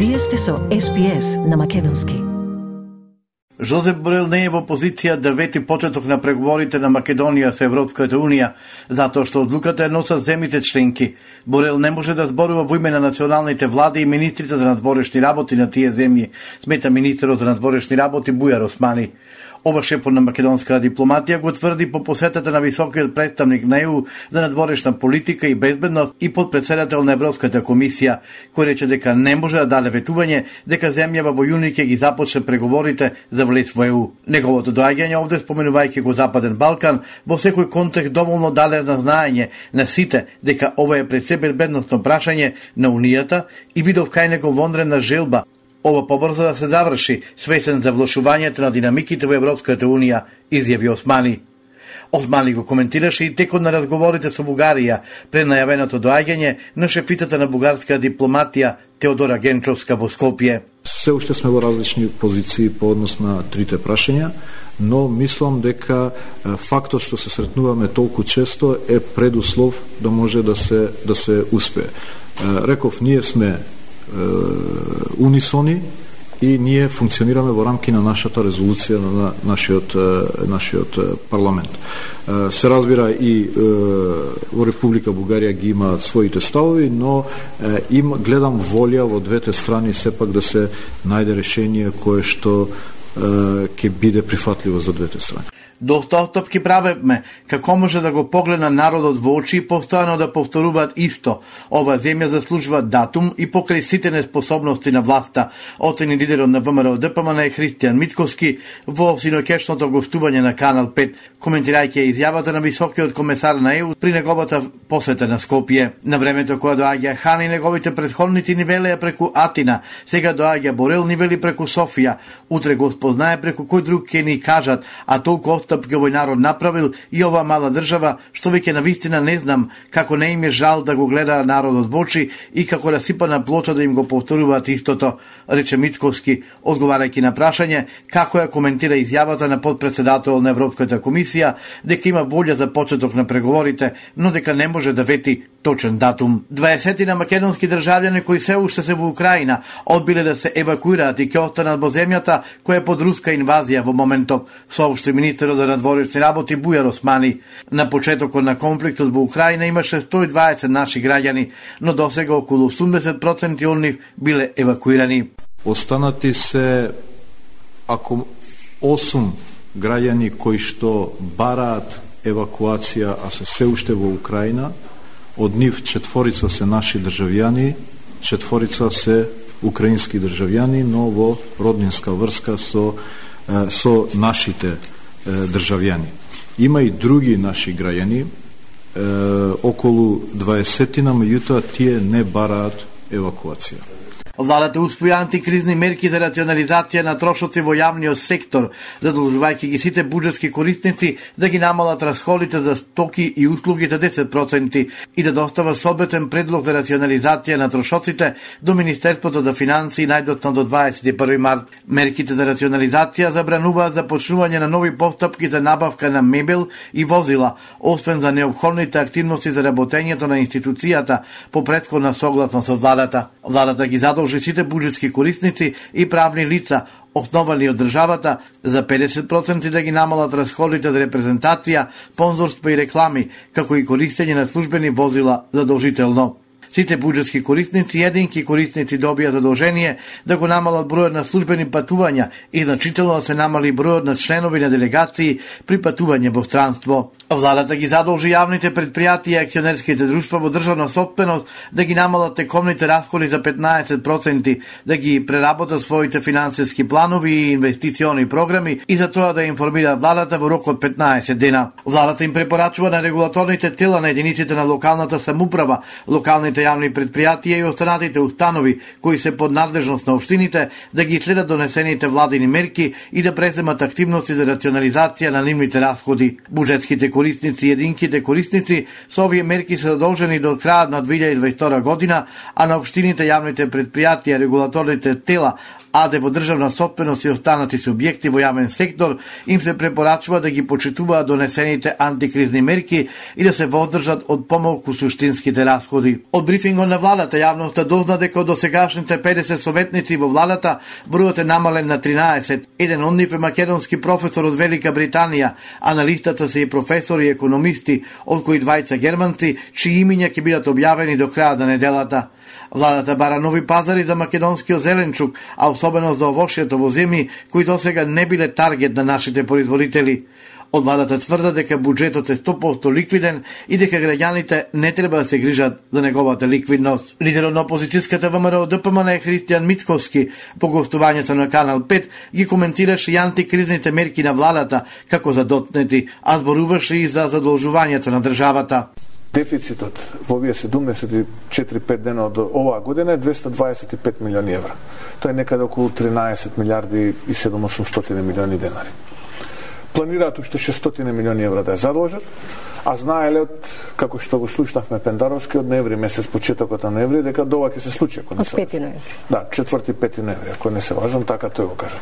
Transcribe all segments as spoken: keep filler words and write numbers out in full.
Вие сте со Ес Би Ес на македонски. Жозеп Борел не е во позиција да вети почеток на преговорите на Македонија со Европската Унија, затоа што одлуката е носат земјите членки. Борел не може да зборува во име на националните влади и министрите за надворешни работи на тие земји, смета министерот за надворешни работи Бујар Османи. Ова шефот на македонска дипломатија го тврди по посетата на високиот представник на Е У за надворешна политика и безбедност и подпредседател на Европската комисија, кој рече дека не може да даде ветување дека земјава во јуни ќе ги започне преговорите за влез во Е У. Неговото доаѓање овде, споменувајќи го Западен Балкан, во секој контекст доволно даде на знаење на сите дека ова е пред се безбедносно прашање на Унијата и видов кај него вонредна желба ова побрзо да се заврши, свесен за влошувањето на динамиките во Европската Унија, изјави Османи. Османи го коментираше и текот на разговорите со Бугарија пред најавеното доаѓање на шефицата на бугарска дипломатија Теодора Генчовска во Скопје. Се уште сме во различни позиции по однос на трите прашања, но мислам дека фактот што се сретнуваме толку често е предуслов да може да се да се успее. Реков, ние сме унисони и ние функционираме во рамки на нашата резолуција на нашиот нашиот парламент. Се разбира и во Република Бугарија ги има своите ставови, но им гледам волја во двете страни сепак да се најде решение кое што ќе биде прифатливо за двете страни. Доста отстапки правевме, како може да го погледна народот во очи и постојано да повторуваат исто. Ова земја заслужува датум и покрај сите неспособности на власта, оцени лидерот на Вэ Ем Р О Д П М Н Христијан Мицковски во синокешното гостување на Канал пет, коментирајќи изјавата на високиот комесар на Е У при неговата посета на Скопје. На времето кога доаѓа Хан и неговите претходници ни велеа преку Атина, сега доаѓа Борел ни вели преку Софија, утре го спознае преку кој друг ќе ни кажат, а толку отстапки овој народ направил и ова мала држава, што веќе навистина не знам како не им е жал да го гледа народот во очи и како расипана плоча да им го повторуваат истото, рече Мицковски, одговарајќи на прашање како ја коментира изјавата на подпредседател на Европската комисија дека има волја за почеток на преговорите, но дека не може да вети точен датум. дваесет на македонски државјани кои се уште се во Украина одбиле да се евакуираат и ќе останат во земјата која е под руска инвазија во моментов, соопшти министерот за надворешни работи Бујар Османи. На почетокот на конфликтот во Украина имаше сто и дваесет наши граѓани, но досега околу осумдесет проценти од нив биле евакуирани. Останати се ако осум граѓани кои што бараат евакуација, а се се уште во Украина. Од нив четворица се наши државјани, четворица се украински државјани, но во роднинска врска со со нашите државјани. Има и други наши граѓани, околу дваесетина, меѓутоа тие не бараат евакуација. Владата усвои антикризни мерки за рационализација на трошоци во јавниот сектор, задолжувајќи ги сите буџетски корисници да ги намалат расходите за стоки и услуги за десет проценти и да достава соодветен предлог за рационализација на трошоците до Министерството за финансии најдоцна до дваесет и први март. Мерките за рационализација забрануваат започнување на нови постапки за набавка на мебел и возила, освен за неопходните активности за работењето на институцијата по претходна согласност со владата. Владата ги задолжи сите буџетски корисници и правни лица, основани од државата, за педесет проценти да ги намалат расходите за репрезентација, спонзорство и реклами, како и користење на службени возила задолжително. Сите буџетски корисници и единки корисници добија задолжение да го намалат бројот на службени патувања и значително да се намали бројот на членови на делегации при патување во странство. Владата ги задолжи јавните предпријатија и акционерските друштва во државна сопственост да ги намалат тековните расходи за петнаесет проценти, да ги преработат своите финансиски планови и инвестициони програми и за тоа да информираат владата во рок од петнаесет дена. Владата им препорачува на регулаторните тела на единиците на локалната самоуправа, локалните јавни предпријатија и останатите установи кои се под надлежност на општините да ги следат донесените владини мерки и да преземат активности за рационализација на нивните расходи. Буџетските корисници и единките корисници со овие мерки се задолжени до крајот на две илјади и дваесет и втора година, а на општините, јавните предпријатија, регулаторните тела, а да во државна собственост и останати субјекти во јавен сектор им се препорачува да ги почитуваат донесените антикризни мерки и да се воздржат од помалку суштинските расходи. Од брифингот на владата јавноста дозна дека од досегашните педесет советници во владата бројот е намален на тринаесет. Еден од нив е македонски професор од Велика Британија, а на листата се и професори и економисти, од кои двајца германци, чии имиња ќе бидат објавени до крајот на неделата. Владата бара нови пазари за македонскиот зеленчук, а особено за овошјето во земји кои досега не биле таргет на нашите производители. Од владата тврда дека буџетот е сто проценти ликвиден и дека граѓаните не треба да се грижат за неговата ликвидност. Лидерот на опозицијската ВМРО Д П М Н Христијан Митковски по гостувањето на Канал пет ги коментираше и антикризните мерки на владата како задотнети, а зборуваше и за задолжувањето на државата. Дефицитот во овие седумдесет и четири пет дена од оваа година е двеста дваесет и пет милиони евра. Тоа е некаде околу тринаесет милиарди и седумстотини милиони денари. Планираат уште шестстотини милиони евра да ја задолжат, а знаеле од, како што го слушнавме Пендаровски, од ноември месец, почетокот на ноември, дека дова ќе се случи, ако не се пети ноември. Да, четврти пети ноември, ако не се важам, така тој го кажа.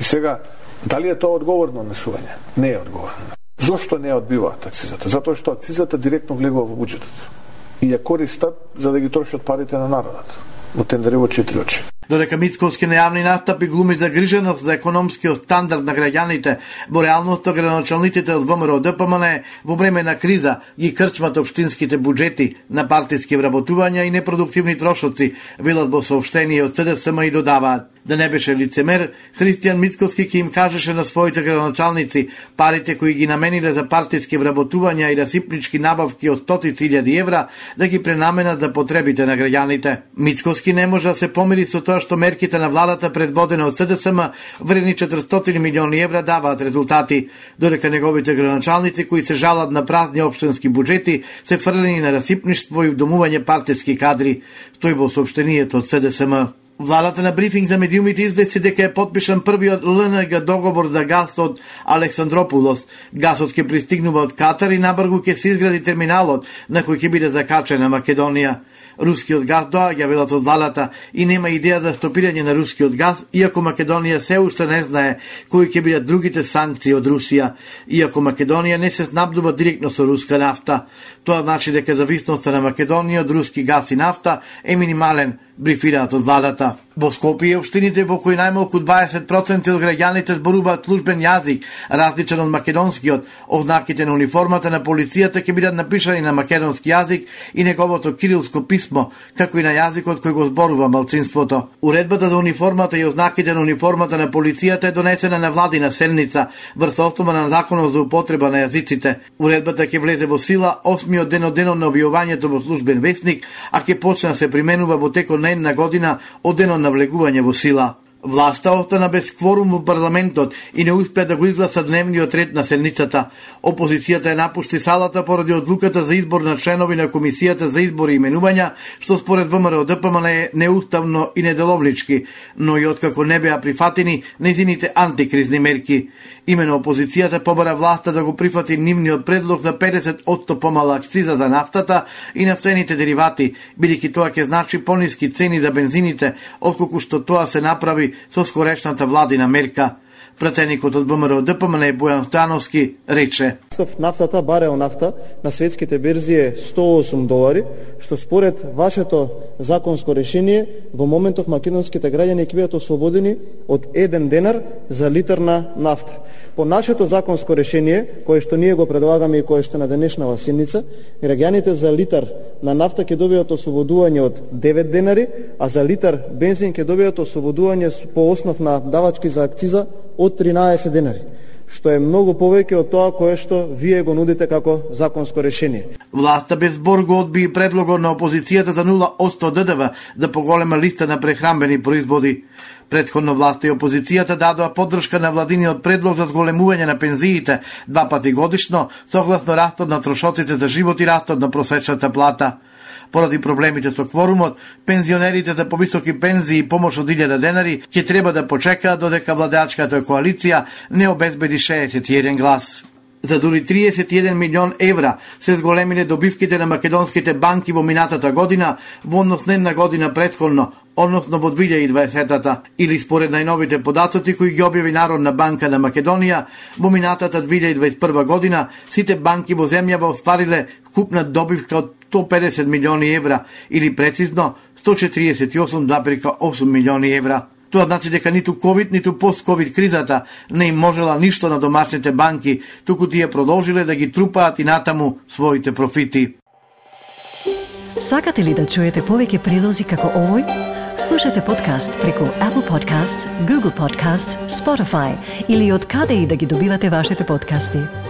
И сега, дали е тоа одговорно однесување? Не е одговорно. Зошто не ја одбиваат акцизата? Затоа што акцизата директно влегува во буџетот и ја користат за да ги трошат парите на народот во тендери во четири очи. Додека Мицковски на јавни настапи глуми загриженост за економскиот стандард на граѓаните, во реалноста градоначалниците од В М R Д П М Н во време на криза ги крчмат општинските буџети на партиски вработувања и непродуктивни трошоци, велат во соопштение од С Д С М и додаваат. Да не беше лицемер, Христијан Мицковски ќе им кажеше на своите градоначалници парите кои ги намениле за партиски вработувања и расипнички набавки од стотици илјади евра да ги пренаменат за потребите на граѓаните. Мицковски не може да се помири со тоа што мерките на владата предводена од С Д С М вредни четиристотини милиони евра даваат резултати, додека неговите градоначалници кои се жалат на празни општински буџети се фрлени на расипништво и домување партиски кадри, стои во соопштението од С Д С М. Владата на брифинг за медиумите извести дека е подпишан првиот Л Н Г договор за газ од Александропулос. Газот ќе пристигнува од Катар и набрзо ќе се изгради терминалот на кој ќе биде закачена Македонија. Рускиот газ доаѓа, велат од владата, и нема идеја за стопирање на рускиот газ, иако Македонија се уште не знае кои ќе бидат другите санкции од Русија, иако Македонија не се снабдува директно со руска нафта. Тоа значи дека зависноста на Македонија од руски газ и нафта е минимален, брифираат од владата. Во Скопје општините во кои најмалку дваесет проценти од граѓаните зборуваат службен јазик, различен од македонскиот, ознаките на униформата на полицијата ќе бидат напишани на македонски јазик и неговото кирилско писмо, како и на јазикот кој го зборува малцинството. Уредбата за униформата и ознаките на униформата на полицијата е донесена на владина седница, врз основа на законот за употреба на јазиците. Уредбата ќе влезе во сила осмиот ден од денот на објавувањето во службен весник, а ќе почне да се применува во текот на една година од денот на влегување во сила. Власта остана без кворум во парламентот и не успеа да го изгласа дневниот ред на седницата. Опозицијата ја напушти салата поради одлуката за избор на членови на Комисијата за избори и именувања, што според В М R Д П М Н е неуставно и неделовнички, но и откако не беа прифатени нејзините антикризни мерки. Имено опозицијата побара власта да го прифати нивниот предлог за педесет одсто помала акциза за нафтата и нафтените деривати, бидејќи тоа ќе значи пониски цени за бензините, отколку што тоа се направи со скорешната владина мерка. Пратеникот од В М R Д П М Н Бојан Стојановски рече: Нафтата, барел нафта на светските берзи е сто и осум долари, што според вашето законско решение во моментов македонските граѓани ќе бидат ослободени од еден денар за литар на нафта. По нашето законско решение, кое што ние го предлагаме и кое што на денешнава седница, граѓаните за литар на нафта ќе добијат ослободување од девет денари, а за литар бензин ќе добијат ослободување по основ на давачки за акциза од тринаесет денари, што е многу повеќе од тоа кое што вие го нудите како законско решение. Власта без збор го одби предлогот на опозицијата за нула одсто Д Д В за поголема листа на прехранбени производи. Предходно власта и опозицијата дадоа поддршка на владиниот предлог за зголемување на пензиите два пати годишно, согласно растот на трошоците за живот и растот на просечната плата. Поради проблемите со кворумот, пензионерите за повисоки пензии и помош од илјада денари ќе треба да почекаат додека владеачката коалиција не обезбеди шеесет и еден глас. За дури триесет и еден милион евра се зголемиле добивките на македонските банки во минатата година во однос на една година претходно, односно во две илјади и дваесета, или според најновите податоци кои ги објави Народна банка на Македонија, во минатата две илјади и дваесет и прва година сите банки во земјава оствариле купна добивка од сто педесет милиони евра, или прецизно сто четириесет и осум зарез осум милиони евра. Тоа значи дека ниту ковид, ниту пост-ковид кризата не им можела ништо на домашните банки, туку тие продолжиле да ги трупаат и натаму своите профити. Сакате ли да чуете повеќе прилози како овој? Слушате подкаст преку Apple Podcasts, Google Podcasts, Spotify или од каде и да ги добивате вашите подкасти.